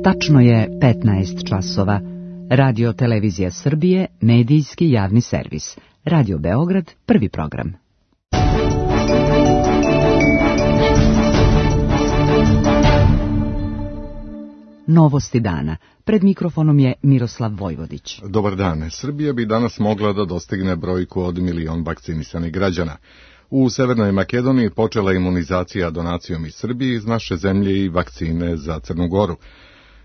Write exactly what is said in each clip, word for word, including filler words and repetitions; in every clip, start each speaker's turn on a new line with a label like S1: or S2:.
S1: Tačno je petnaest časova. Radio Televizija Srbije, medijski javni servis. Radio Beograd, prvi program. Novosti dana. Pred mikrofonom je Miroslav Vojvodić.
S2: Dobar dan. Srbija bi danas mogla da dostigne brojku od milion vakcinisanih građana. U Severnoj Makedoniji počela imunizacija donacijom iz Srbije iz naše zemlje i vakcine za Crnu Goru.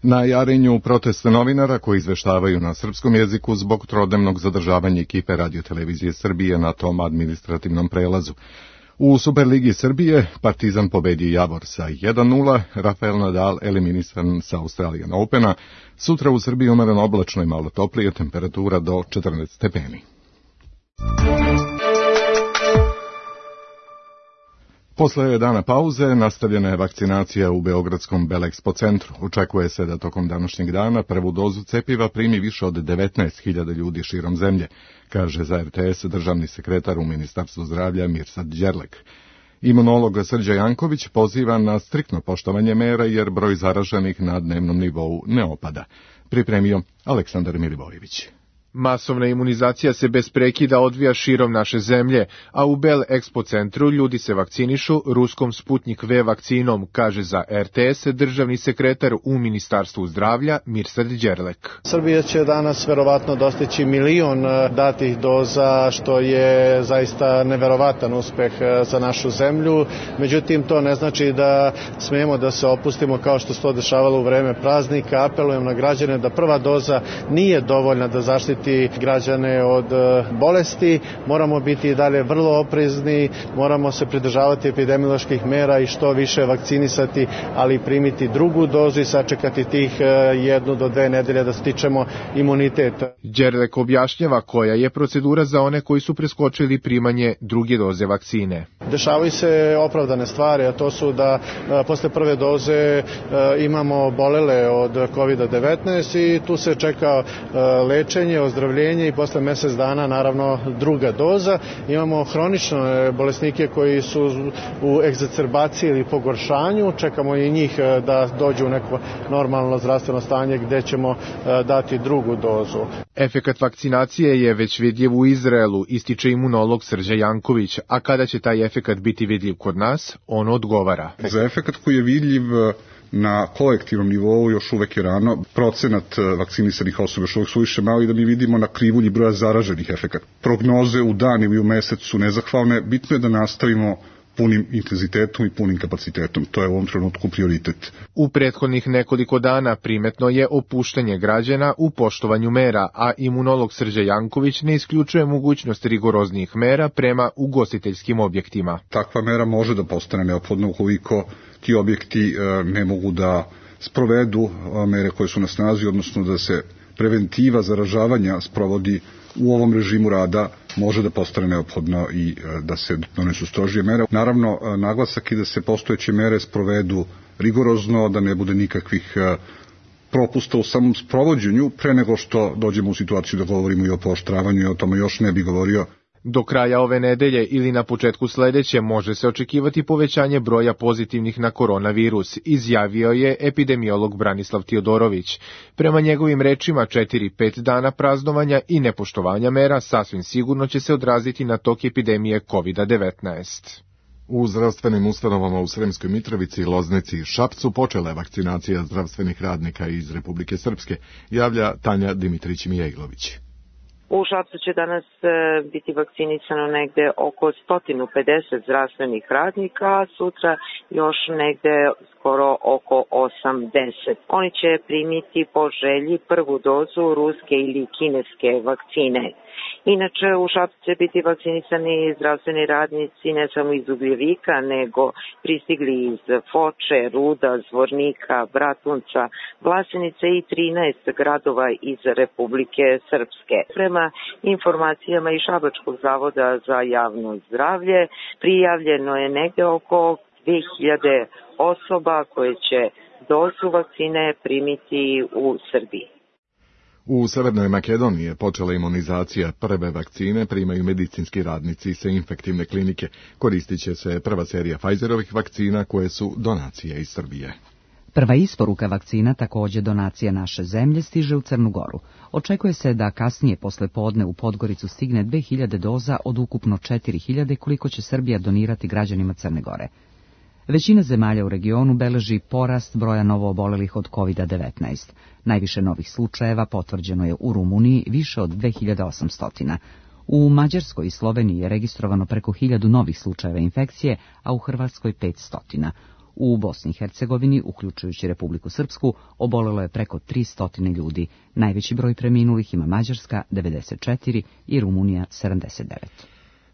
S2: Na Jarinju proteste novinara koji izveštavaju na srpskom jeziku zbog trodnevnog zadržavanja ekipe Radio-televizije Srbije na tom administrativnom prelazu. U Superligi Srbije Partizan pobedi Javor sa jedan nula, Rafael Nadal eliminisan sa Australian Opena, sutra u Srbiji umereno oblačno i malo toplije, temperatura do četrnaest stepeni. Posle dana pauze nastavljena je vakcinacija u Beogradskom Belexpo centru. Očekuje se da tokom današnjeg dana prvu dozu cepiva primi više od devetnaest hiljada ljudi širom zemlje, kaže za R T S državni sekretar u Ministarstvu zdravlja Mirsad Đerlek. Imunolog Srđa Janković poziva na striktno poštovanje mera jer broj zaraženih na dnevnom nivou ne opada. Pripremio Aleksandar Milivojević.
S3: Masovna imunizacija se bez prekida odvija širom naše zemlje, a u Bel Expo centru ljudi se vakcinišu ruskom Sputnik V vakcinom, kaže za R T S državni sekretar u Ministarstvu zdravlja Mirsad Đerlek.
S4: Srbija će danas verovatno dostići milion datih doza, što je zaista neverovatan uspeh za našu zemlju. Međutim, to ne znači da smemo da se opustimo kao što se to dešavalo u vreme praznika. Apelujem na građane da prva doza nije dovoljna da zaštiti građane od bolesti, moramo biti i dalje vrlo oprezni, moramo se pridržavati epidemioloških mera i što više vakcinisati, ali primiti drugu dozu i sačekati tih jednu do dve nedelje da stičemo imunitet.
S3: Đerlek objašnjava koja je procedura za one koji su preskočili primanje druge doze vakcine.
S4: Dešavaju se opravdane stvari, a to su da posle prve doze imamo bolele od kovid devetnaest i tu se čeka lečenje, ozdravljenje i posle mesec dana naravno druga doza. Imamo hronične bolesnike koji su u egzacerbaciji ili pogoršanju, čekamo i njih da dođu u neko normalno zdravstveno stanje gde ćemo dati drugu dozu.
S3: Efekat vakcinacije je već vidljiv u Izraelu, ističe imunolog Srđa Janković, a kada će taj efekat biti vidljiv kod nas, on odgovara.
S5: Za efekat koji je vidljiv na kolektivnom nivou još uvek je rano. Procenat vakcinisanih osoba još uvek su više mali da mi vidimo na krivulji broja zaraženih efekata. Prognoze u dan ili u mesec su nezahvalne. Bitno je da nastavimo punim intenzitetom i punim kapacitetom. To je u ovom trenutku prioritet.
S3: U prethodnih nekoliko dana primetno je opuštanje građana u poštovanju mera, a imunolog Srđa Janković ne isključuje mogućnost rigoroznijih mera prema ugostiteljskim objektima.
S5: Takva mera može da postane neophodna ukoliko ti objekti ne mogu da sprovedu mere koje su na snazi, odnosno da se preventiva zaražavanja sprovodi u ovom režimu rada, može da postane neophodno i da se donesu strožije mere. Naravno, naglasak je da se postojeće mere sprovedu rigorozno, da ne bude nikakvih propusta u samom sprovođenju, pre nego što dođemo u situaciju da govorimo i o pooštravanju i o tome još ne bi govorio.
S3: Do kraja ove nedelje ili na početku sledeće može se očekivati povećanje broja pozitivnih na koronavirus, izjavio je epidemiolog Branislav Tiodorović. Prema njegovim rečima, četiri pet dana praznovanja i nepoštovanja mera sasvim sigurno će se odraziti na tok epidemije kovid devetnaest.
S2: U zdravstvenim ustanovama u Sremskoj Mitrovici, Loznici i Šapcu počela je vakcinacija zdravstvenih radnika iz Republike Srpske, javlja Tanja Dimitrić-Mijailović.
S6: U Šapcu će danas biti vakcinisano negde oko sto pedeset zdravstvenih radnika, a sutra još negde skoro oko osamdeset. Oni će primiti po želji prvu dozu ruske ili kineske vakcine. Inače, u Šapcu će biti vakcinisani zdravstveni radnici ne samo iz Ugljevika, nego pristigli iz Foče, Ruda, Zvornika, Bratunca, Vlasenice i trinaest gradova iz Republike Srpske. Prema informacijama iz Šabačkog zavoda za javno zdravlje, prijavljeno je negde oko dve hiljade osoba koje će dozu vakcine primiti u Srbiji.
S2: U Severnoj Makedoniji je počela imunizacija. Prve vakcine primaju medicinski radnici sa infektivne klinike. Koristit će se prva serija Pfizerovih vakcina koje su donacije iz Srbije.
S1: Prva isporuka vakcina, također donacija naše zemlje, stiže u Crnu Goru. Očekuje se da kasnije posle podne u Podgoricu stigne dve hiljade doza od ukupno četiri hiljade koliko će Srbija donirati građanima Crne Gore. Većina zemalja u regionu beleži porast broja novoobolelih od kovid devetnaest. Najviše novih slučajeva potvrđeno je u Rumuniji, više od dve hiljade osamsto. U Mađarskoj i Sloveniji je registrovano preko hiljadu novih slučajeva infekcije, a u Hrvatskoj petsto. U Bosni i Hercegovini, uključujući Republiku Srpsku, obolelo je preko tristo ljudi. Najveći broj preminulih ima Mađarska devedeset četiri i Rumunija sedamdeset devet.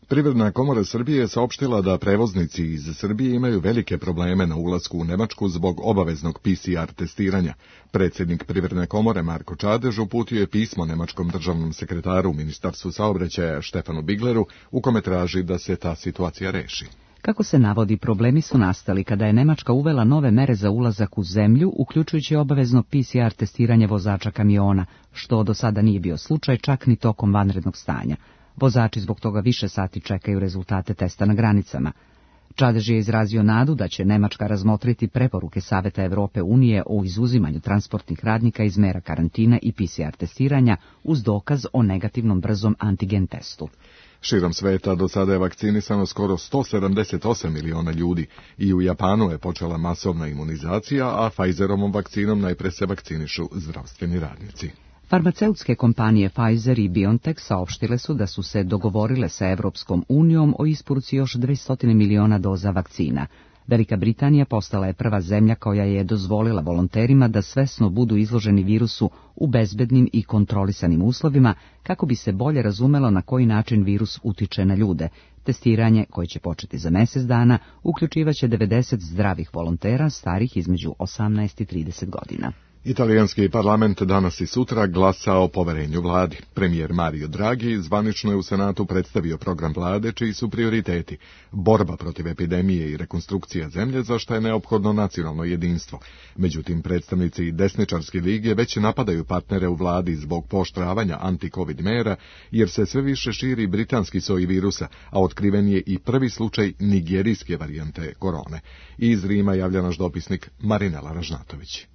S2: Privredna komora Srbije saopštila da prevoznici iz Srbije imaju velike probleme na ulasku u Nemačku zbog obaveznog P C R testiranja. Predsjednik Privredne komore Marko Čadež uputio je pismo nemačkom državnom sekretaru u Ministarstvu saobraćaja Štefanu Bigleru u kome traži da se ta situacija reši.
S1: Kako se navodi, problemi su nastali kada je Nemačka uvela nove mere za ulazak u zemlju, uključujući obavezno P C R testiranje vozača kamiona, što do sada nije bio slučaj čak ni tokom vanrednog stanja. Vozači zbog toga više sati čekaju rezultate testa na granicama. Čadež je izrazio nadu da će Nemačka razmotriti preporuke Saveta Evrope unije o izuzimanju transportnih radnika iz mera karantina i P C R testiranja uz dokaz o negativnom brzom antigen testu.
S2: Širom sveta do sada je vakcinisano skoro sto sedamdeset osam miliona ljudi i u Japanu je počela masovna imunizacija, a Pfizerovom vakcinom najpre se vakcinišu zdravstveni radnici.
S1: Farmaceutske kompanije Pfizer i BioNTech saopštile su da su se dogovorile sa Evropskom unijom o isporuci još dvesta miliona doza vakcina. Velika Britanija postala je prva zemlja koja je dozvolila volonterima da svesno budu izloženi virusu u bezbednim i kontrolisanim uslovima kako bi se bolje razumelo na koji način virus utiče na ljude. Testiranje, koje će početi za mjesec dana, uključivaće devedeset zdravih volontera starih između osamnaest i trideset godina.
S2: Italijanski parlament danas i sutra glasa o poverenju vladi. Premijer Mario Draghi zvanično je u Senatu predstavio program vlade čiji su prioriteti borba protiv epidemije i rekonstrukcija zemlje, za što je neophodno nacionalno jedinstvo. Međutim, predstavnici desničarske lige već napadaju partnere u vladi zbog pooštravanja anti-covid mera, jer se sve više širi britanski soj virusa, a otkriven je i prvi slučaj nigerijske varijante korone. Iz Rima javlja naš dopisnik Marinela Ražnatović.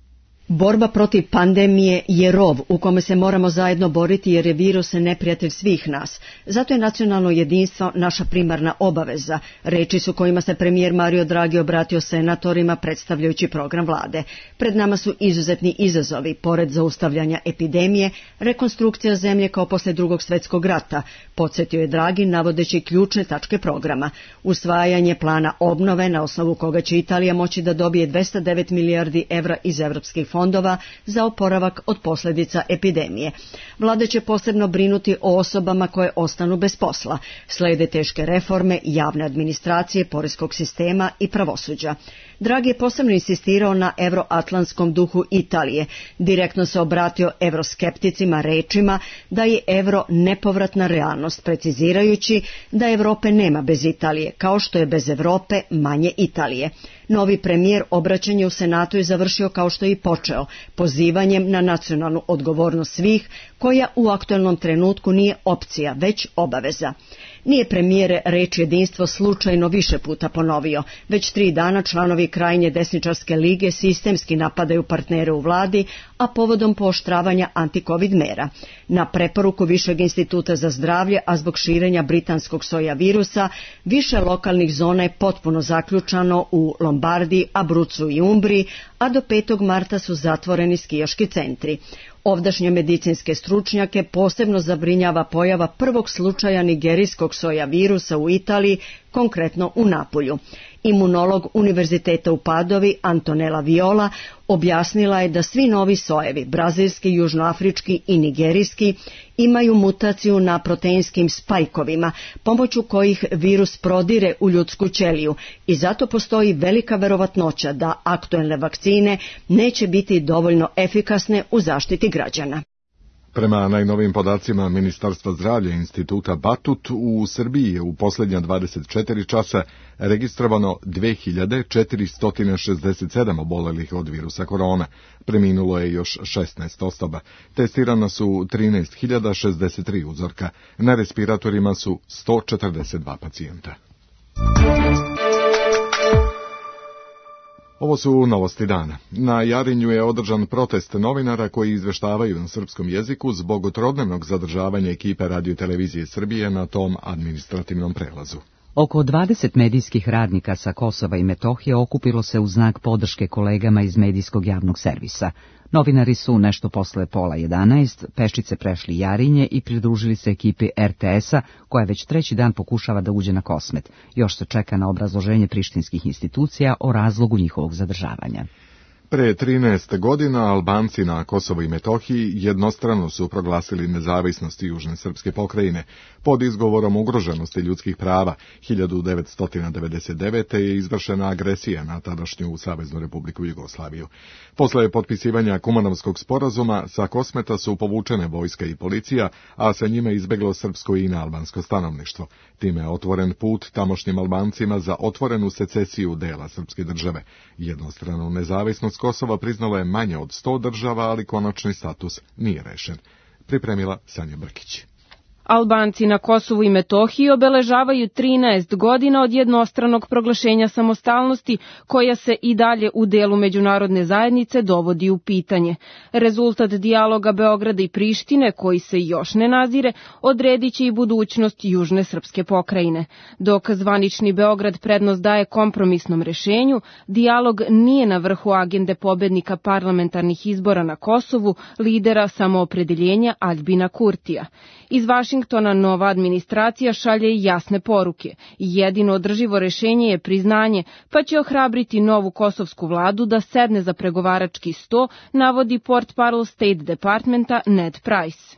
S7: Borba protiv pandemije je rov u kome se moramo zajedno boriti jer je virus neprijatelj svih nas. Zato je nacionalno jedinstvo naša primarna obaveza, reči su kojima se premijer Mario Draghi obratio senatorima predstavljajući program vlade. Pred nama su izuzetni izazovi, pored zaustavljanja epidemije, rekonstrukcija zemlje kao posle drugog svjetskog rata, podsjetio je Draghi navodeći ključne tačke programa. Usvajanje plana obnove na osnovu koga će Italija moći da dobije dvesta devet milijardi evra iz evropskih fondova za oporavak od posljedica epidemije. Vlada će posebno brinuti o osobama koje ostanu bez posla. Slede teške reforme javne administracije, poreskog sistema i pravosuđa. Draghi je posebno insistirao na euroatlantskom duhu Italije. Direktno se obratio evroskepticima rečima da je euro nepovratna realnost, precizirajući da Europe nema bez Italije, kao što je bez Europe manje Italije. Novi premijer obraćanje u Senatu je završio kao što je i počeo, pozivanjem na nacionalnu odgovornost svih, koja u aktualnom trenutku nije opcija, već obaveza. Nije premijer reč jedinstvo slučajno više puta ponovio. Već tri dana članovi krajnje desničarske lige sistemski napadaju partnere u vladi, a povodom pooštravanja anti-covid mera. Na preporuku Višeg instituta za zdravlje, a zbog širenja britanskog soja virusa, više lokalnih zona je potpuno zaključano u Lombardiji, Abruzzu i Umbriji, a do petog marta su zatvoreni skijaški centri. Ovdašnje medicinske stručnjake posebno zabrinjava pojava prvog slučaja nigerijskog soja virusa u Italiji, konkretno u Napulju. Imunolog Univerziteta u Padovi Antonella Viola objasnila je da svi novi sojevi, brazilski, južnoafrički i nigerijski, imaju mutaciju na proteinskim spajkovima, pomoću kojih virus prodire u ljudsku ćeliju i zato postoji velika verovatnoća da aktuelne vakcine neće biti dovoljno efikasne u zaštiti građana.
S2: Prema najnovijim podacima Ministarstva zdravlja Instituta Batut, u Srbiji je u posljednja dvadeset četiri časa registrovano dve hiljade četiristo šezdeset sedam obolelih od virusa korona. Preminulo je još šesnaest osoba. Testirana su trinaest hiljada šezdeset tri uzorka. Na respiratorima su sto četrdeset dva pacijenta. Ovo su novosti dana. Na Jarinju je održan protest novinara koji izveštavaju na srpskom jeziku zbog trodnevnog zadržavanja ekipe Radio-televizije Srbije na tom administrativnom prelazu.
S1: Oko dvadeset medijskih radnika sa Kosova i Metohije okupilo se u znak podrške kolegama iz medijskog javnog servisa. Novinari su nešto posle pola jedanaest pešice prešli Jarinje i pridružili se ekipi er te esa, koja već treći dan pokušava da uđe na Kosmet. Još se čeka na obrazloženje prištinskih institucija o razlogu njihovog zadržavanja.
S2: Pre trinaest godina Albanci na Kosovu i Metohiji jednostrano su proglasili nezavisnost južne srpske pokrajine pod izgovorom ugroženosti ljudskih prava. hiljadu devetsto devedeset devete. je izvršena agresija na tadašnju Saveznu Republiku Jugoslaviju. Posle potpisivanja Kumanovskog sporazuma sa Kosmeta su povučene vojska i policija, a sa njima izbeglo srpsko i nealbansko stanovništvo. Time je otvoren put tamošnjim Albancima za otvorenu secesiju dela srpske države. Jednostranu nezavisnost Kosova priznalo je manje od sto država, ali konačni status nije rešen. Pripremila Sanja Brkić.
S8: Albanci na Kosovu i Metohiji obeležavaju trinaest godina od jednostranog proglašenja samostalnosti, koja se i dalje u delu međunarodne zajednice dovodi u pitanje. Rezultat dijaloga Beograda i Prištine, koji se još ne nazire, odredit će i budućnost južne srpske pokrajine. Dok zvanični Beograd prednost daje kompromisnom rešenju, dijalog nije na vrhu agende pobednika parlamentarnih izbora na Kosovu, lidera samoopredeljenja Aljbina Kurtija. Iz Vašingtona nova administracija šalje jasne poruke. Jedino održivo rešenje je priznanje, pa će ohrabriti novu kosovsku vladu da sedne za pregovarački sto, navodi portparol State Departmenta Ned Price.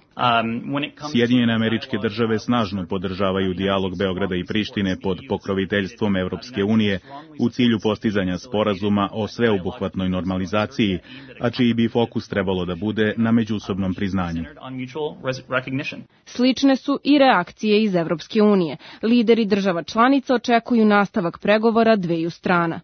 S9: Sjedinjene Američke Države snažno podržavaju dijalog Beograda i Prištine pod pokroviteljstvom Evropske unije u cilju postizanja sporazuma o sveobuhvatnoj normalizaciji, a čiji bi fokus trebalo da bude na međusobnom priznanju.
S8: Slične su i reakcije iz Evropske unije. Lideri država članica očekuju nastavak pregovora dveju strana.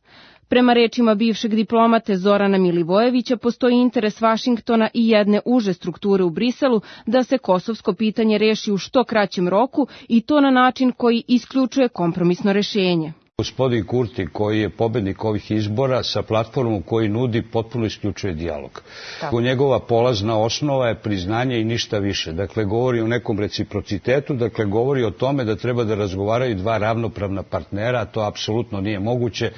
S8: Prema rečima bivšeg diplomate Zorana Milivojevića, postoji interes Vašingtona i jedne uže strukture u Briselu da se kosovsko pitanje reši u što kraćem roku i to na način koji isključuje kompromisno rešenje.
S10: Gospodin Kurti, koji je pobednik ovih izbora, sa platformom koji nudi, potpuno isključuje dijalog. Tako. Njegova polazna osnova je priznanje i ništa više. Dakle, govori o nekom reciprocitetu, dakle, govori o tome da treba da razgovaraju dva ravnopravna partnera, a to apsolutno nije moguće.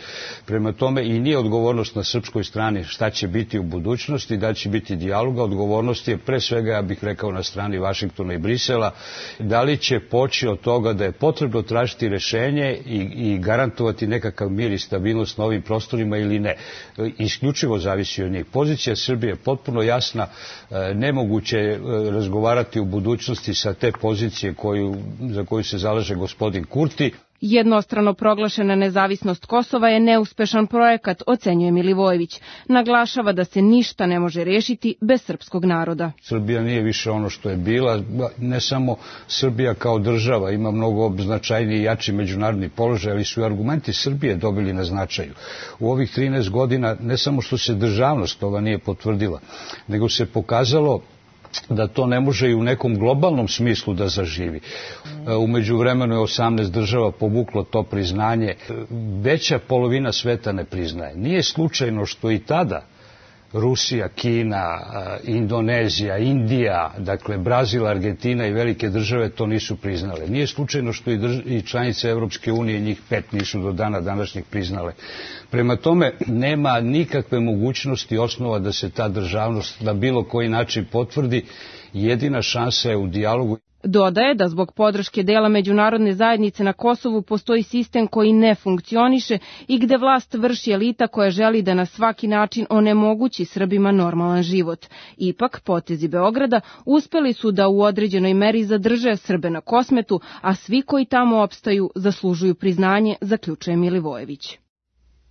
S10: Prema tome i nije odgovornost na srpskoj strani šta će biti u budućnosti, da će biti dijaloga. Odgovornost je pre svega, ja bih rekao, na strani Vašingtona i Brisela. Da li će poći od toga da je potrebno tražiti rešenje i, i garantovati garantovati nekakav mir i stabilnost na ovim prostorima ili ne. Isključivo zavisi od njih. Pozicija Srbije je potpuno jasna, nemoguće je razgovarati u budućnosti sa te pozicije koju, za koju se zalaže gospodin Kurti.
S8: Jednostrano proglašena nezavisnost Kosova je neuspešan projekat, ocenjuje Milivojević. Naglašava da se ništa ne može rešiti bez srpskog naroda.
S10: Srbija nije više ono što je bila, ne samo Srbija kao država, ima mnogo značajniji i jači međunarodni položaj, ali su i argumenti Srbije dobili na značaju. U ovih trinaest godina ne samo što se državnost ova nije potvrdila, nego se pokazalo da to ne može i u nekom globalnom smislu da zaživi. U međuvremenu je osamnaest država povuklo to priznanje. Veća polovina sveta ne priznaje. Nije slučajno što i tada Rusija, Kina, Indonezija, Indija, dakle Brazil, Argentina i velike države to nisu priznale. Nije slučajno što i, drž- i članice Evropske unije, njih pet, nisu do dana današnjeg priznale. Prema tome, nema nikakve mogućnosti osnova da se ta državnost na bilo koji način potvrdi. Jedina šansa je u dijalogu.
S8: Dodaje da zbog podrške dela međunarodne zajednice na Kosovu postoji sistem koji ne funkcioniše i gde vlast vrši elita koja želi da na svaki način onemogući Srbima normalan život. Ipak, potezi Beograda uspeli su da u određenoj meri zadrže Srbe na Kosmetu, a svi koji tamo opstaju zaslužuju priznanje, zaključuje Milivojević.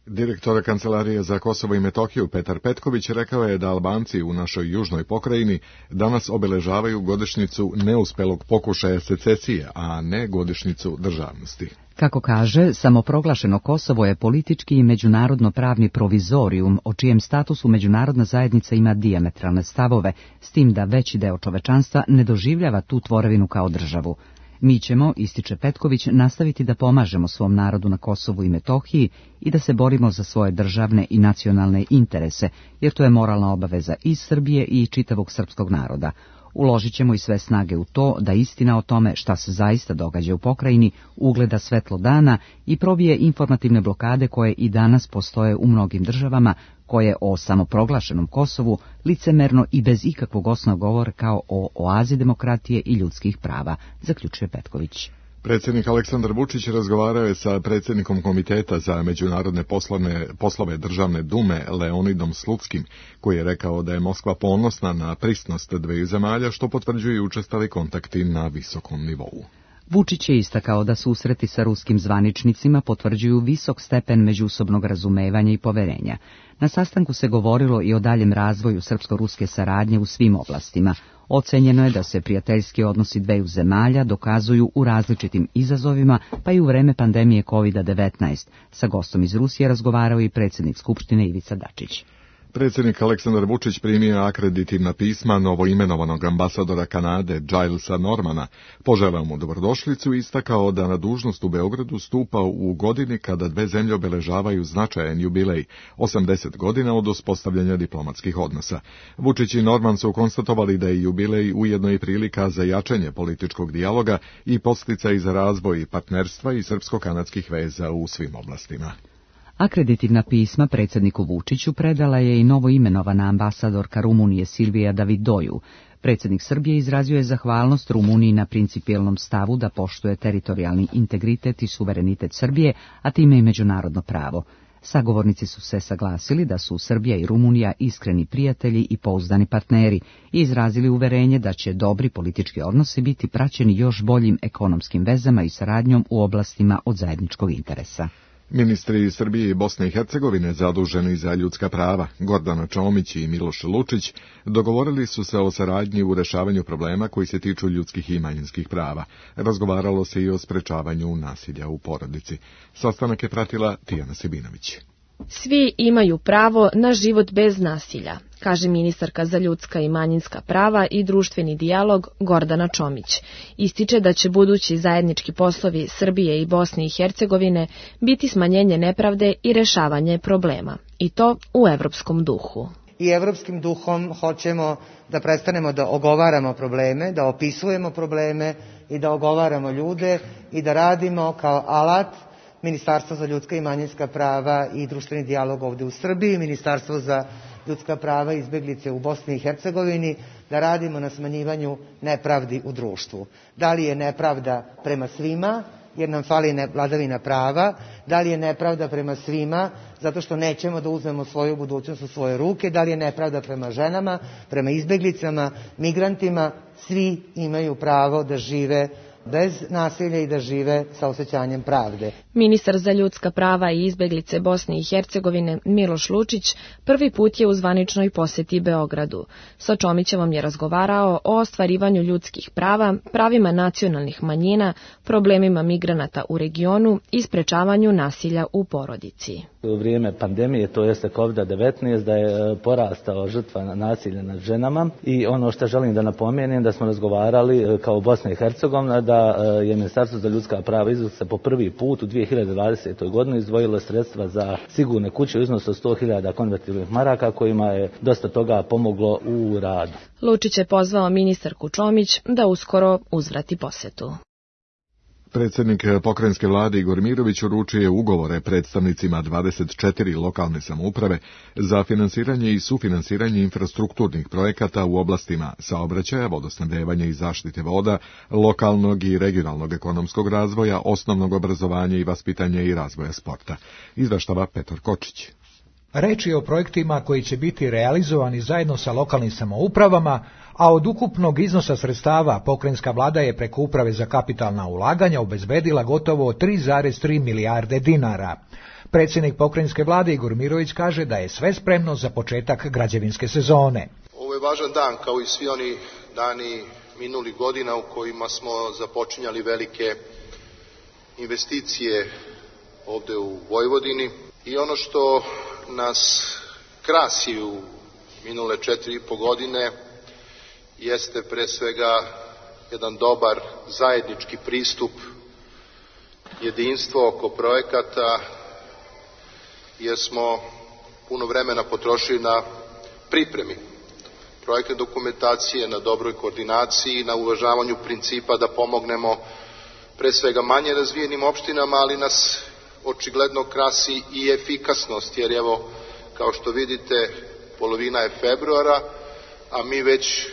S2: Direktor Kancelarije za Kosovo i Metohiju Petar Petković rekao je da Albanci u našoj južnoj pokrajini danas obeležavaju godišnjicu neuspelog pokušaja secesije, a ne godišnjicu državnosti.
S1: Kako kaže, samoproglašeno Kosovo je politički i međunarodno pravni provizorijum, o čijem statusu međunarodna zajednica ima dijametralne stavove, s tim da veći deo čovečanstva ne doživljava tu tvorevinu kao državu. Mi ćemo, ističe Petković, nastaviti da pomažemo svom narodu na Kosovu i Metohiji i da se borimo za svoje državne i nacionalne interese, jer to je moralna obaveza i Srbije i čitavog srpskog naroda. Uložit ćemo i sve snage u to da istina o tome šta se zaista događa u pokrajini ugleda svetlo dana i probije informativne blokade koje i danas postoje u mnogim državama, koje o samoproglašenom Kosovu licemerno i bez ikakvog osnova govore kao o oazi demokratije i ljudskih prava, zaključuje Petković.
S2: Predsjednik Aleksandar Vučić razgovarao je sa predsjednikom Komiteta za međunarodne poslovne, poslove Državne dume Leonidom Slutskim, koji je rekao da je Moskva ponosna na prisnost dveju zemalja, što potvrđuju učestali kontakti na visokom nivou.
S1: Vučić je istakao da susreti sa ruskim zvaničnicima potvrđuju visok stepen međusobnog razumevanja i poverenja. Na sastanku se govorilo i o daljem razvoju srpsko-ruske saradnje u svim oblastima. Ocenjeno je da se prijateljski odnosi dveju zemalja dokazuju u različitim izazovima, pa i u vreme pandemije kovid devetnaest. Sa gostom iz Rusije razgovarao i predsjednik Skupštine Ivica Dačić.
S2: Predsjednik Aleksandar Vučić primio akreditivna pisma novoimenovanog ambasadora Kanade Gilesa Normana, poželeo mu dobrodošlicu i istakao da na dužnost u Beogradu stupa u godini kada dve zemlje obeležavaju značajan jubilej, osamdeset godina od uspostavljanja diplomatskih odnosa. Vučić i Norman su konstatovali da je jubilej ujedno i prilika za jačanje političkog dijaloga i podsticaj za razvoj partnerstva i srpsko-kanadskih veza u svim oblastima.
S1: Akreditivna pisma predsjedniku Vučiću predala je i novoimenovana ambasadorka Rumunije Silvija Davidoju. Predsjednik Srbije izrazio je zahvalnost Rumuniji na principijelnom stavu da poštuje teritorijalni integritet i suverenitet Srbije, a time i međunarodno pravo. Sagovornici su se saglasili da su Srbija i Rumunija iskreni prijatelji i pouzdani partneri i izrazili uverenje da će dobri politički odnosi biti praćeni još boljim ekonomskim vezama i saradnjom u oblastima od zajedničkog interesa.
S2: Ministri Srbije i Bosne i Hercegovine zaduženi za ljudska prava, Gordana Čomić i Miloš Lučić, dogovorili su se o saradnji u rešavanju problema koji se tiču ljudskih i manjinskih prava. Razgovaralo se i o sprečavanju nasilja u porodici. Sastanak je pratila Tijana Sebinović.
S11: Svi imaju pravo na život bez nasilja, kaže ministarka za ljudska i manjinska prava i društveni dijalog Gordana Čomić. Ističe da će budući zajednički poslovi Srbije i Bosne i Hercegovine biti smanjenje nepravde i rešavanje problema, i to u evropskom duhu.
S12: I evropskim duhom hoćemo da prestanemo da ogovaramo probleme, da opisujemo probleme i da ogovaramo ljude i da radimo kao alat Ministarstvo za ljudska i manjinska prava i društveni dijalog ovde u Srbiji, Ministarstvo za ljudska prava i izbeglice u Bosni i Hercegovini, da radimo na smanjivanju nepravdi u društvu. Da li je nepravda prema svima, jer nam fali vladavina prava, da li je nepravda prema svima, zato što nećemo da uzmemo svoju budućnost u svoje ruke, da li je nepravda prema ženama, prema izbeglicama, migrantima, svi imaju pravo da žive bez nasilja i da žive sa osjećanjem pravde.
S11: Ministar za ljudska prava i izbeglice Bosne i Hercegovine Miloš Lučić prvi put je u zvaničnoj poseti Beogradu. Sa Čomićevom je razgovarao o ostvarivanju ljudskih prava, pravima nacionalnih manjina, problemima migranata u regionu i sprečavanju nasilja u porodici.
S13: U vrijeme pandemije, to jeste kovid devetnaest, da je porastao žrtva nasilja nad ženama i ono što želim da napomenem da smo razgovarali kao Bosna i Hercegovina da je Ministarstvo za ljudska prava izvukse po prvi put u dvije hiljade dvadesetoj godini izdvojilo sredstva za sigurne kuće u iznosu od sto hiljada konvertibilnih maraka kojima je dosta toga pomoglo u radu.
S11: Lučić je pozvao ministarku Čomić da uskoro uzvrati posetu.
S2: Predsjednik pokrajinske vlade Igor Mirović uručio je ugovore predstavnicima dvadeset četiri lokalne samouprave za finansiranje i sufinansiranje infrastrukturnih projekata u oblastima saobraćaja, vodosnabdevanja i zaštite voda, lokalnog i regionalnog ekonomskog razvoja, osnovnog obrazovanja i vaspitanja i razvoja sporta. Izveštava Petar Kočić.
S14: Reč je o projektima koji će biti realizovani zajedno sa lokalnim samoupravama, a od ukupnog iznosa sredstava pokrajinska vlada je preko Uprave za kapitalna ulaganja obezbedila gotovo tri zarez tri milijarde dinara. Predsjednik pokrajinske vlade Igor Mirović kaže da je sve spremno za početak građevinske sezone.
S15: Ovo je važan dan kao i svi oni dani minulih godina u kojima smo započinjali velike investicije ovde u Vojvodini i ono što nas krasi u minule četiri i po godine jeste pre svega jedan dobar zajednički pristup, jedinstvo oko projekata, jer smo puno vremena potrošili na pripremi projektne dokumentacije, na dobroj koordinaciji, na uvažavanju principa da pomognemo pre svega manje razvijenim opštinama, ali nas očigledno krasi i efikasnost, jer evo, kao što vidite, polovina je februara, a mi već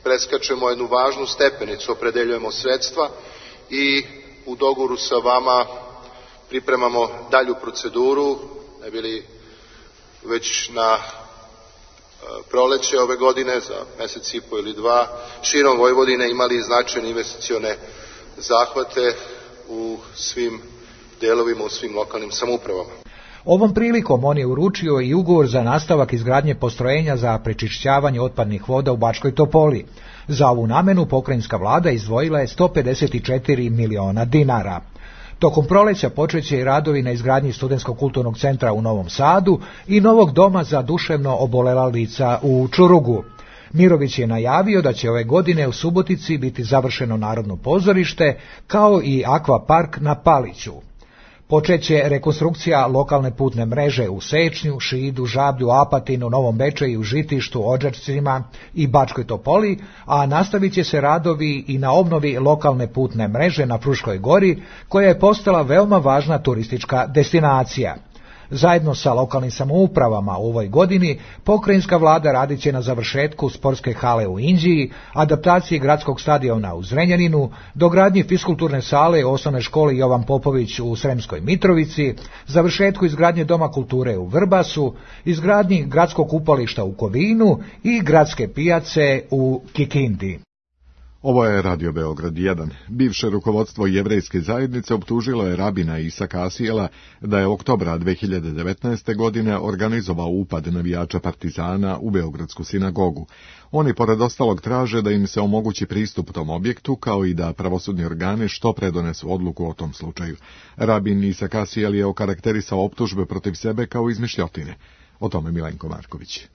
S15: preskačemo jednu važnu stepenicu, opredeljujemo sredstva i u dogovoru sa vama pripremamo dalju proceduru, ne bili već na proleće ove godine, za mesec i po ili dva, širom Vojvodine imali značajne investicione zahvate u svim delovima, u svim lokalnim samoupravama.
S14: Ovom prilikom on je uručio i ugovor za nastavak izgradnje postrojenja za prečišćavanje otpadnih voda u Bačkoj Topoli. Za ovu namenu pokrajinska vlada izdvojila je sto pedeset četiri miliona dinara. Tokom proleća počeće i radovi na izgradnji Studentskog kulturnog centra u Novom Sadu i novog doma za duševno obolela lica u Čurugu. Mirović je najavio da će ove godine u Subotici biti završeno Narodno pozorište, kao i akvapark na Paliću. Počeće rekonstrukcija lokalne putne mreže u Sečnju, Šidu, Žablju, Apatinu, Novom Bečeju, Žitištu, Odžacima i Bačkoj Topoli, a nastavit će se radovi i na obnovi lokalne putne mreže na Fruškoj Gori, koja je postala veoma važna turistička destinacija. Zajedno sa lokalnim samoupravama u ovoj godini pokrajinska vlada radit će na završetku sportske hale u Inđiji, adaptaciji gradskog stadiona u Zrenjaninu, dogradnji fiskulturne sale u osnovnoj školi Jovan Popović u Sremskoj Mitrovici, završetku izgradnje Doma kulture u Vrbasu, izgradnji gradskog kupališta u Kovinu i gradske pijace u Kikindi.
S2: Ovo je Radio Beograd jedan. Bivše rukovodstvo jevrejske zajednice optužilo je rabina Isaka Asijela da je oktobra dve hiljade devetnaeste. godine organizovao upad navijača Partizana u Beogradsku sinagogu. Oni pored ostalog traže da im se omogući pristup tom objektu, kao i da pravosudni organi što pre donesu odluku o tom slučaju. Rabin Isak Asijel je okarakterisao optužbe protiv sebe kao izmišljotine. O tome Milenko Marković.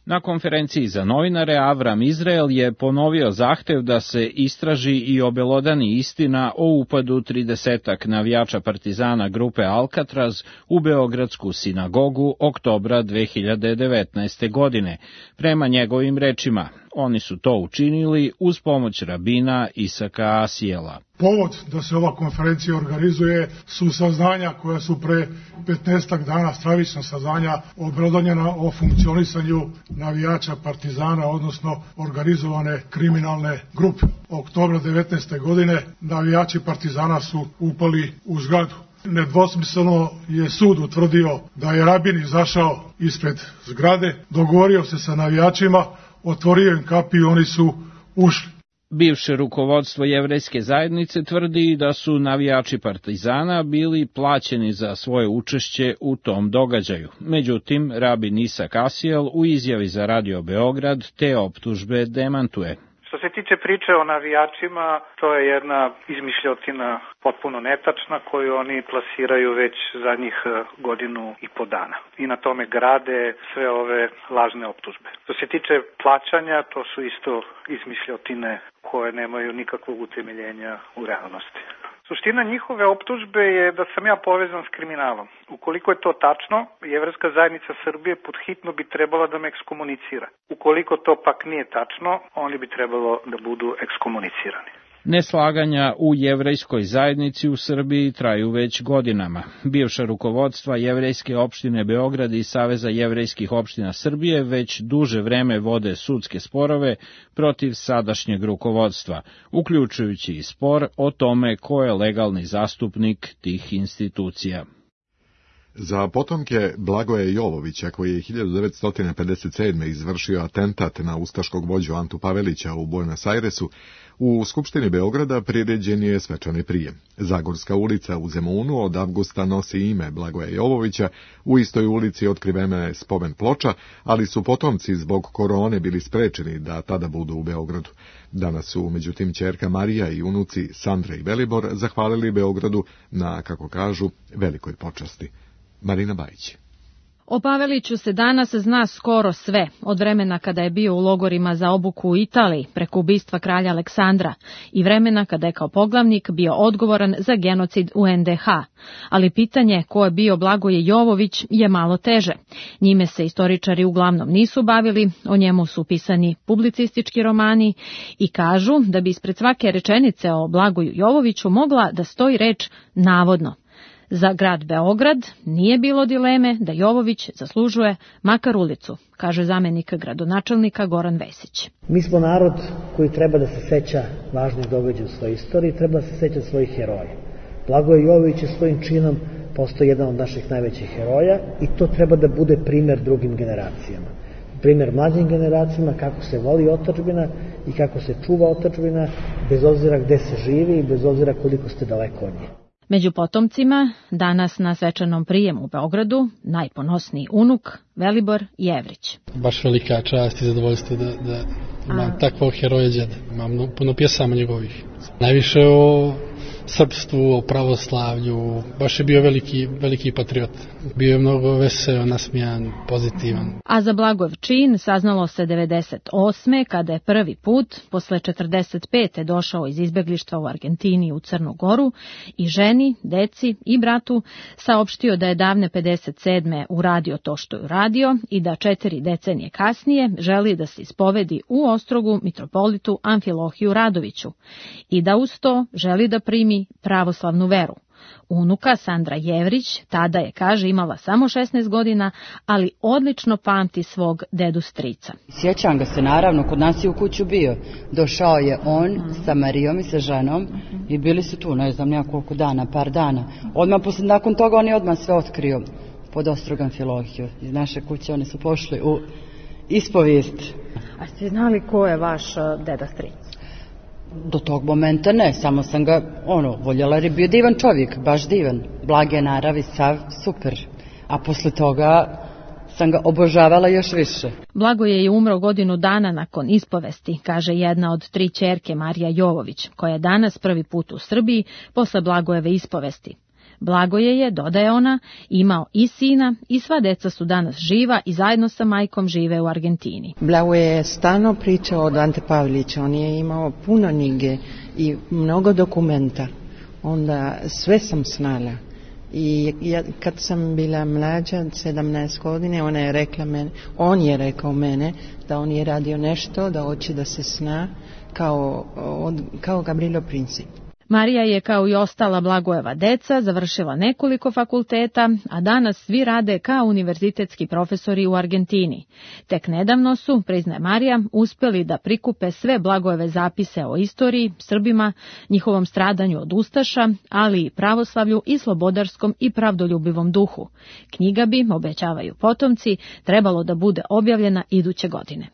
S16: Na konferenciji za novinare Avram Izrael je ponovio zahtev da se istraži i obelodani istina o upadu tridesetak navijača Partizana grupe Alcatraz u Beogradsku sinagogu oktobra dve hiljade devetnaeste. godine. Prema njegovim rečima, oni su to učinili uz pomoć rabina Isaka Asijela.
S17: Povod da se ova konferencija organizuje su saznanja koja su pre petnaestak dana, stravična saznanja, obelodonjena o funkcionisanju navijača Partizana, odnosno organizovane kriminalne grupe. Oktobra devetnaeste. godine navijači Partizana su upali u zgradu. Nedvosmisleno je sud utvrdio da je rabin izašao ispred zgrade, dogovorio se sa navijačima, otvorio im kapi i oni su ušli.
S16: Bivše rukovodstvo jevrejske zajednice tvrdi da su navijači Partizana bili plaćeni za svoje učešće u tom događaju. Međutim, rabin Isak Asijel u izjavi za Radio Beograd te optužbe demantuje.
S18: Što se tiče priče o navijačima, to je jedna izmišljotina potpuno netačna koju oni plasiraju već zadnjih godinu i po dana. I na tome grade sve ove lažne optužbe. Što se tiče plaćanja, to su isto izmišljotine koje nemaju nikakvog utemeljenja u realnosti. Suština njihove optužbe je da sam ja povezan s kriminalom. Ukoliko je to tačno, Jevrejska zajednica Srbije pod hitno bi trebala da me ekskomunicira. Ukoliko to pak nije tačno, oni bi trebalo da budu ekskomunicirani.
S16: Neslaganja u jevrejskoj zajednici u Srbiji traju već godinama. Bivša rukovodstva jevrejske opštine Beograd i Saveza jevrejskih opština Srbije već duže vreme vode sudske sporove protiv sadašnjeg rukovodstva, uključujući i spor o tome ko je legalni zastupnik tih institucija.
S2: Za potomke Blagoja Jovovića, koji je hiljadu devetsto pedeset sedme. izvršio atentat na ustaškog vođu Antu Pavelića u Buenos Airesu, u Skupštini Beograda priređen je svečani prijem. Zagorska ulica u Zemunu od avgusta nosi ime Blagoja Jovovića, u istoj ulici otkrivena je spomen ploča, ali su potomci zbog korone bili sprečeni da tada budu u Beogradu. Danas su, međutim, ćerka Marija i unuci Sandra i Velibor zahvalili Beogradu na, kako kažu, velikoj počasti. Marina Bajić.
S19: O Paveliću se danas zna skoro sve, od vremena kada je bio u logorima za obuku u Italiji preko ubistva kralja Aleksandra i vremena kada je kao poglavnik bio odgovoran za genocid u en de ha. Ali pitanje ko je bio Blagoje Jovović je malo teže. Njime se istoričari uglavnom nisu bavili, o njemu su pisani publicistički romani i kažu da bi ispred svake rečenice o Blagoju Jovoviću mogla da stoji reč navodno. Za grad Beograd nije bilo dileme da Jovović zaslužuje makar ulicu, kaže zamenik gradonačelnika Goran Vesić.
S20: Mi smo narod koji treba da se seća važnih događaja u svojoj istoriji, treba da se seća svojih heroja. Blagoje Jovović je svojim činom postao jedan od naših najvećih heroja i to treba da bude primer drugim generacijama. Primer mlađim generacijama kako se voli otadžbina i kako se čuva otadžbina, bez obzira gde se živi i bez obzira koliko ste daleko od nje.
S19: Među potomcima, danas na svečanom prijemu u Beogradu, najponosniji unuk Velibor Jevrić.
S21: Baš velika čast i zadovoljstvo da, da imam A... takvog heroja djeda. Imam puno pjesama njegovih. Najviše o srpstvu, o pravoslavlju. Baš je bio veliki, veliki patriot. Bio je mnogo veseo, nasmijan, pozitivan.
S19: A za Blagojov čin saznalo se devedeset osme kada je prvi put, posle četrdeset pete došao iz izbeglištva u Argentini u Crnu Goru i ženi, deci i bratu saopštio da je davne pedeset sedme uradio to što je uradio i da četiri decenije kasnije želi da se ispovedi u Ostrogu mitropolitu Amfilohiju Radoviću i da uz to želi da primi pravoslavnu veru. Unuka Sandra Jevrić tada je, kaže, imala samo šesnaest godina, ali odlično pamti svog dedu strica.
S22: Sjećam ga se, naravno, kod nas je u kuću bio. Došao je on sa Marijom i sa ženom i bili su tu, ne znam, nekoliko dana, par dana. Odmah posle, nakon toga on je odmah sve otkrio pod Ostrog Amfilohiju. Iz naše kuće oni su pošli u ispovijest.
S19: A ste znali ko je vaš deda stric?
S22: Do tog momenta ne, samo sam ga, ono, voljela jer je bio divan čovjek, baš divan, blage naravi, sav, super. A posle toga sam ga obožavala još više.
S19: Blagoje je umro godinu dana nakon ispovesti, kaže jedna od tri ćerke Marija Jovović, koja je danas prvi put u Srbiji posle Blagojeve ispovesti. Blagoje je, dodaje ona, imao i sina i sva deca su danas živa i zajedno sa majkom žive u Argentini.
S23: Blagoje je stalno pričao od Ante Pavelića, on je imao puno knjige i mnogo dokumenta, onda sve sam znala. I ja, kad sam bila mlađa, sedamnaest godine, ona je rekla mene, on je rekao mene da on je radio nešto, da hoće da se zna kao, od, kao Gavrilo Princip.
S19: Marija je, kao i ostala Blagojeva deca, završila nekoliko fakulteta, a danas svi rade kao univerzitetski profesori u Argentini. Tek nedavno su, priznaje Marija, uspjeli da prikupe sve Blagojeve zapise o istoriji, Srbima, njihovom stradanju od ustaša, ali i pravoslavlju i slobodarskom i pravdoljubivom duhu. Knjiga bi, obećavaju potomci, trebalo da bude objavljena iduće godine.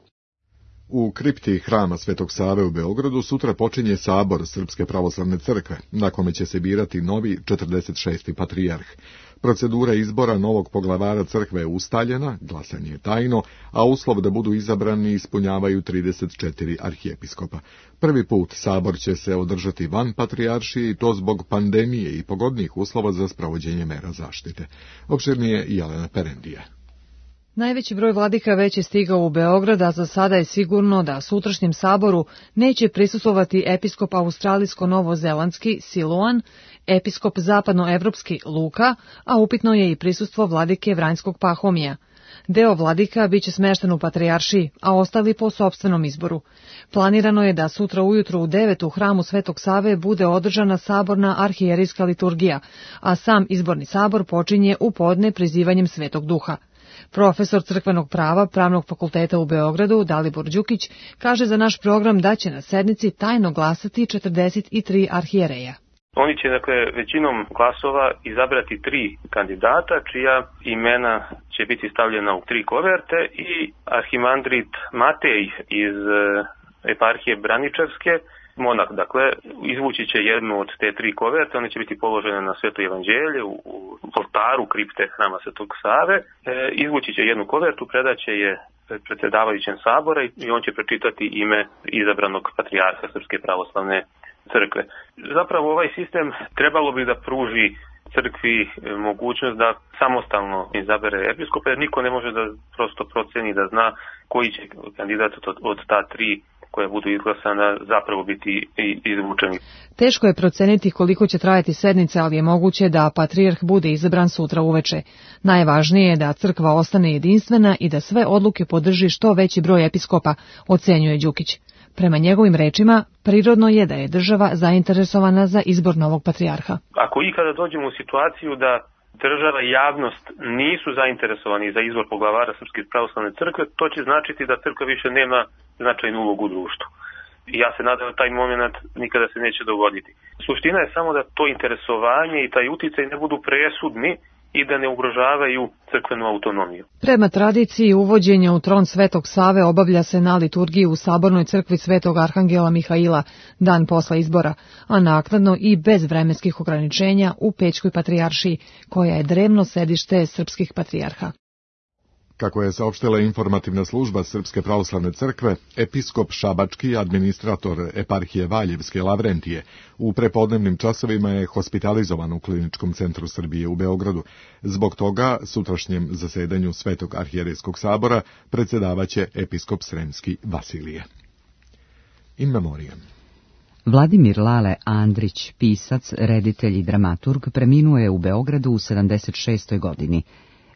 S2: U kripti hrama Svetog Save u Beogradu sutra počinje sabor Srpske pravoslavne crkve, na kome će se birati novi četrdeset šesti patrijarh. Procedura izbora novog poglavara crkve je ustaljena, glasanje je tajno, a uslov da budu izabrani ispunjavaju trideset četiri arhijepiskopa. Prvi put sabor će se održati van patrijaršije i to zbog pandemije i pogodnih uslova za sprovođenje mera zaštite. Opširnije Jelena Perendija.
S24: Najveći broj vladika već je stigao u Beograd, a za sada je sigurno da sutrašnjem saboru neće prisustvovati episkop australijsko-novozelandski Siloan, episkop zapadnoevropski Luka, a upitno je i prisustvo vladike Vranjskog Pahomija. Deo vladika biće smešten u patrijaršiji, a ostali po sopstvenom izboru. Planirano je da sutra ujutru u devet u hramu Svetog Save bude održana saborna arhijerijska liturgija, a sam izborni sabor počinje u podne prizivanjem Svetog Duha. Profesor crkvenog prava Pravnog fakulteta u Beogradu, Dalibor Đukić, kaže za naš program da će na sednici tajno glasati četrdeset tri arhijereja.
S25: Oni će, dakle, većinom glasova izabrati tri kandidata, čija imena će biti stavljena u tri koverte i arhimandrit Matej iz eparhije Braničevske, monah, dakle, izvući će jednu od te tri koverte, one će biti položene na Sveto evanđelje u, u oltaru kripte hrama Svetog Save, e, izvući će jednu kovertu, predaće je predsjedavajućem sabora i on će pročitati ime izabranog patrijarha Srpske pravoslavne crkve. Zapravo ovaj sistem trebalo bi da pruži crkvi mogućnost da samostalno izabere episkopa, jer niko ne može da prosto proceni, da zna koji će kandidat od, od ta tri koja budu izglasana zapravo biti izvučeni.
S24: Teško je proceniti koliko će trajati sednica, ali je moguće da patrijarh bude izabran sutra uveče. Najvažnije je da crkva ostane jedinstvena i da sve odluke podrži što veći broj episkopa, ocenjuje Đukić. Prema njegovim rečima, prirodno je da je država zainteresovana za izbor novog patrijarha.
S25: Ako ikada dođemo u situaciju da država i javnost nisu zainteresovani za izbor poglavara Srpske pravoslavne crkve, to će značiti da crkva više nema značajnu ulogu u društvu. I ja se nadam da taj moment nikada se neće dogoditi. Suština je samo da to interesovanje i taj uticaj ne budu presudni i da ne ugrožavaju crkvenu autonomiju.
S24: Prema tradiciji, uvođenje u tron Svetog Save obavlja se na liturgiji u Sabornoj crkvi Svetog Arhangela Mihaila dan posle izbora, a naknadno i bez vremenskih ograničenja u Pećkoj patrijaršiji, koja je drevno sedište srpskih patrijarha.
S2: Kako je saopštila informativna služba Srpske pravoslavne crkve, episkop Šabački, administrator eparhije Valjevske Lavrentije, u prepodnevnim časovima je hospitalizovan u Kliničkom centru Srbije u Beogradu. Zbog toga, sutrašnjem zasedanju Svetog arhijerejskog sabora predsjedavaće episkop Sremski Vasilije. In memoriam.
S1: Vladimir Lale Andrić, pisac, reditelj i dramaturg, preminuo je u Beogradu u sedamdeset šestoj godini.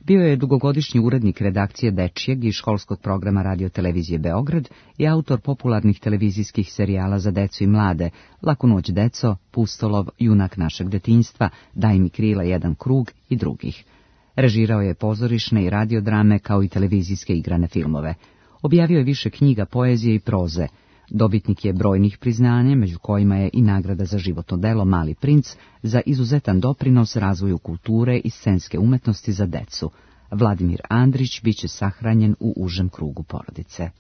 S1: Bio je dugogodišnji urednik redakcije dečijeg i školskog programa radiotelevizije Beograd i autor popularnih televizijskih serijala za decu i mlade Laku noć deco, Pustolov, Junak našeg detinjstva, Daj mi krila jedan krug i drugih. Režirao je pozorišne i radiodrame kao i televizijske igrane filmove. Objavio je više knjiga poezije i proze. Dobitnik je brojnih priznanja, među kojima je i nagrada za životno delo Mali princ za izuzetan doprinos razvoju kulture i scenske umetnosti za decu. Vladimir Andrić biće sahranjen u užem krugu porodice.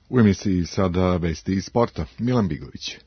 S2: U emisiji sada vesti iz sporta. Milan Bigović.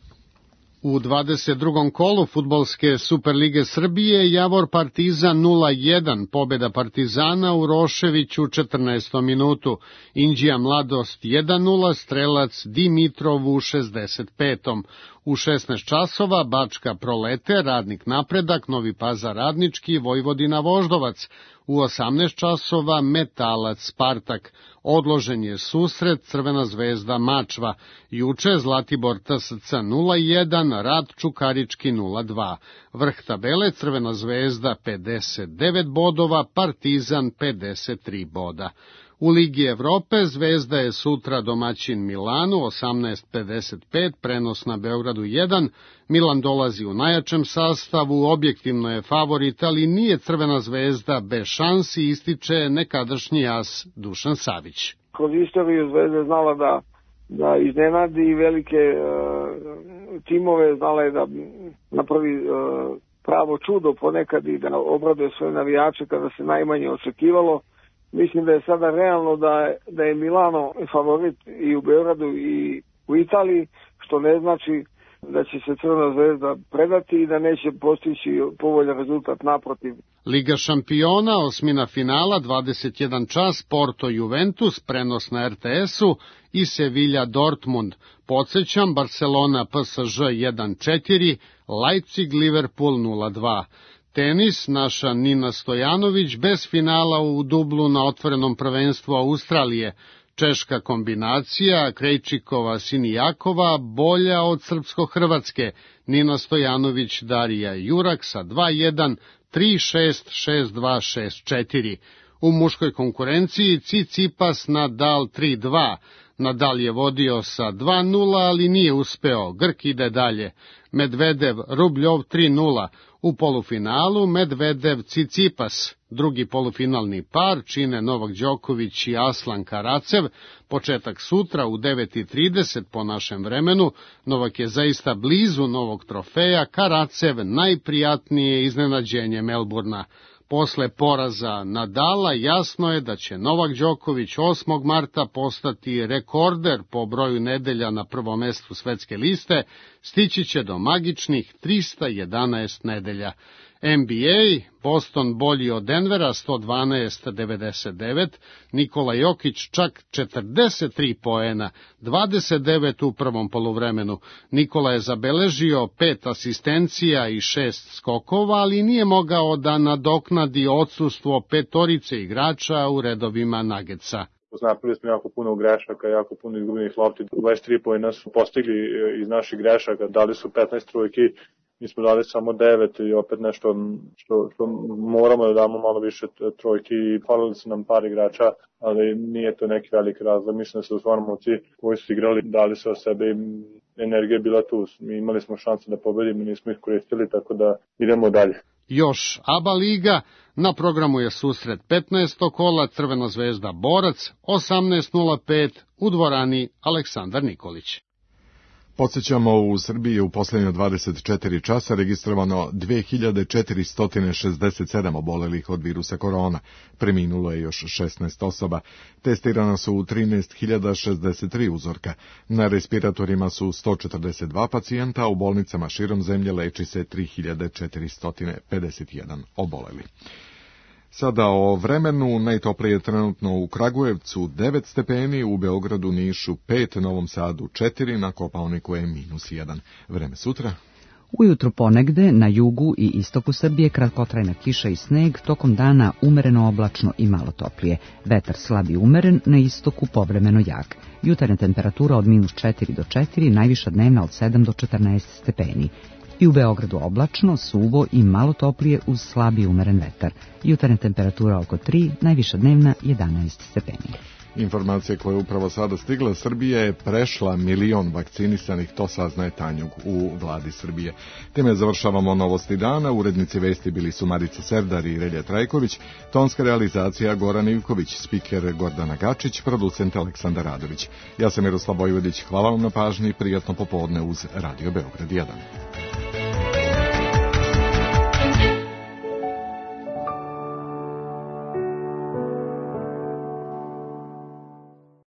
S3: U dvadeset drugom kolu fudbalske Superlige Srbije Javor Partizan nula jedan, pobjeda Partizana u Roševiću u četrnaestom minutu, Inđija Mladost jedan nula, strelac Dimitrov u šezdeset petom U šesnaest časova Bačka Prolete, Radnik Napredak, Novi Pazar Radnički, Vojvodina Voždovac. U osamnaest časova Metalac Spartak. Odložen je susret Crvena zvezda Mačva. Juče Zlatibor T S C nula jedan, Rad Čukarički nula dva. Vrh tabele Crvena zvezda pedeset devet bodova, Partizan pedeset tri boda. U Ligi Evrope Zvezda je sutra domaćin Milanu, osamnaest pedeset pet, prenos na Beogradu jedan. Milan dolazi u najjačem sastavu, objektivno je favorit, ali nije Crvena zvezda bez šansi, ističe nekadašnji as Dušan Savić.
S4: Kroz istoriju Zvezda znala da, da iznenadi velike e, timove, znala je da napravi e, pravo čudo ponekad i da obraduje svoje navijače kada se najmanje očekivalo. Mislim da je sada realno da je, da je Milano favorit i u Beogradu i u Italiji, što ne znači da će se Crvena zvezda predati i da neće postići povoljan rezultat, naprotiv.
S3: Liga šampiona, osmina finala, dvadeset jedan čas, Porto Juventus, prenos na R T S-u i Sevilla Dortmund. Podsećam, Barcelona P S Ž jedan četiri, Leipzig Liverpool nula dva. Tenis, naša Nina Stojanović bez finala u dublu na otvorenom prvenstvu Australije. Češka kombinacija Krejčikova-Sinijakova bolja od srpsko-hrvatske. Nina Stojanović, Darija Jurak sa dva jedan, tri šest, šest dva, šest četiri. U muškoj konkurenciji Tsitsipas Nadal tri dva. Nadal je vodio sa dva nula, ali nije uspeo. Grk ide dalje. Medvedev Rubljov tri nula. U polufinalu Medvedev Tsitsipas. Drugi polufinalni par čine Novak Đoković i Aslan Karacev. Početak sutra u devet i trideset po našem vremenu. Novak je zaista blizu novog trofeja. Karacev najprijatnije iznenađenje Melburna. Posle poraza Nadala jasno je da će Novak Đoković osmog marta postati rekorder po broju nedelja na prvom mestu svetske liste, stići će do magičnih trista jedanaest nedelja. N B A, Boston bolji od Denvera sto dvanaest devedeset devet, Nikola Jokić čak četrdeset tri poena, dvadeset devet u prvom poluvremenu. Nikola je zabeležio pet asistencija i šest skokova, ali nije mogao da nadoknadi odsustvo petorice igrača u redovima Nuggetsa.
S5: Napravili smo jako puno grešaka, jako puno izgubljenih lopti. dvadeset tri poena su postigli iz naših grešaka, dali su petnaest trojki, mi smo dali samo devet i opet nešto što, što moramo da damo malo više trojki i falili su nam par igrača, ali nije to neki veliki razlog. Mislim da su stvarno momci koji su igrali, dali se o sebe i energija je bila tu. Mi imali smo šanse da pobedimo, nismo ih koristili, tako da idemo dalje.
S3: Još A B A liga, na programu je susret petnaestog kola, Crvena zvezda Borac, osamnaest nula pet u dvorani Aleksandar Nikolić.
S2: Podsjećamo, u Srbiji je u posljednje dvadeset četiri časa registrovano dve hiljade četiristo šezdeset sedam obolelih od virusa korona. Preminulo je još šesnaest osoba. Testirana su u trinaest hiljada šezdeset tri uzorka. Na respiratorima su sto četrdeset dva pacijenta, a u bolnicama širom zemlje leči se tri hiljade četiristo pedeset jedan oboleli. Sada o vremenu. Najtoplije je trenutno u Kragujevcu devet stepeni, u Beogradu, Nišu pet, Novom Sadu četiri, na Kopaoniku je minus jedan. Vreme sutra.
S1: Ujutru ponegde na jugu i istoku Srbije kratkotrajna kiša i sneg, tokom dana umereno oblačno i malo toplije. Vetar slab i umeren, na istoku povremeno jak. Jutarnja temperatura od minus četiri do četiri, najviša dnevna od sedam do četrnaest stepeni. I u Beogradu oblačno, suvo i malo toplije uz slab i umeren vetar. Jutarnja temperatura oko tri, najviša dnevna jedanaest stepeni.
S2: Informacija koja je upravo sada stigla, Srbija je prešla milion vakcinisanih, to saznaje Tanjug u vladi Srbije. Time završavamo novosti dana, urednici vesti bili su Marica Serdar i Relja Trajković, tonska realizacija Goran Ivković, spiker Gordana Gačić, producent Aleksandar Radović. Ja sam Miroslav Vojvodić, hvala vam na pažnji i prijatno popodne uz Radio Beograd jedan.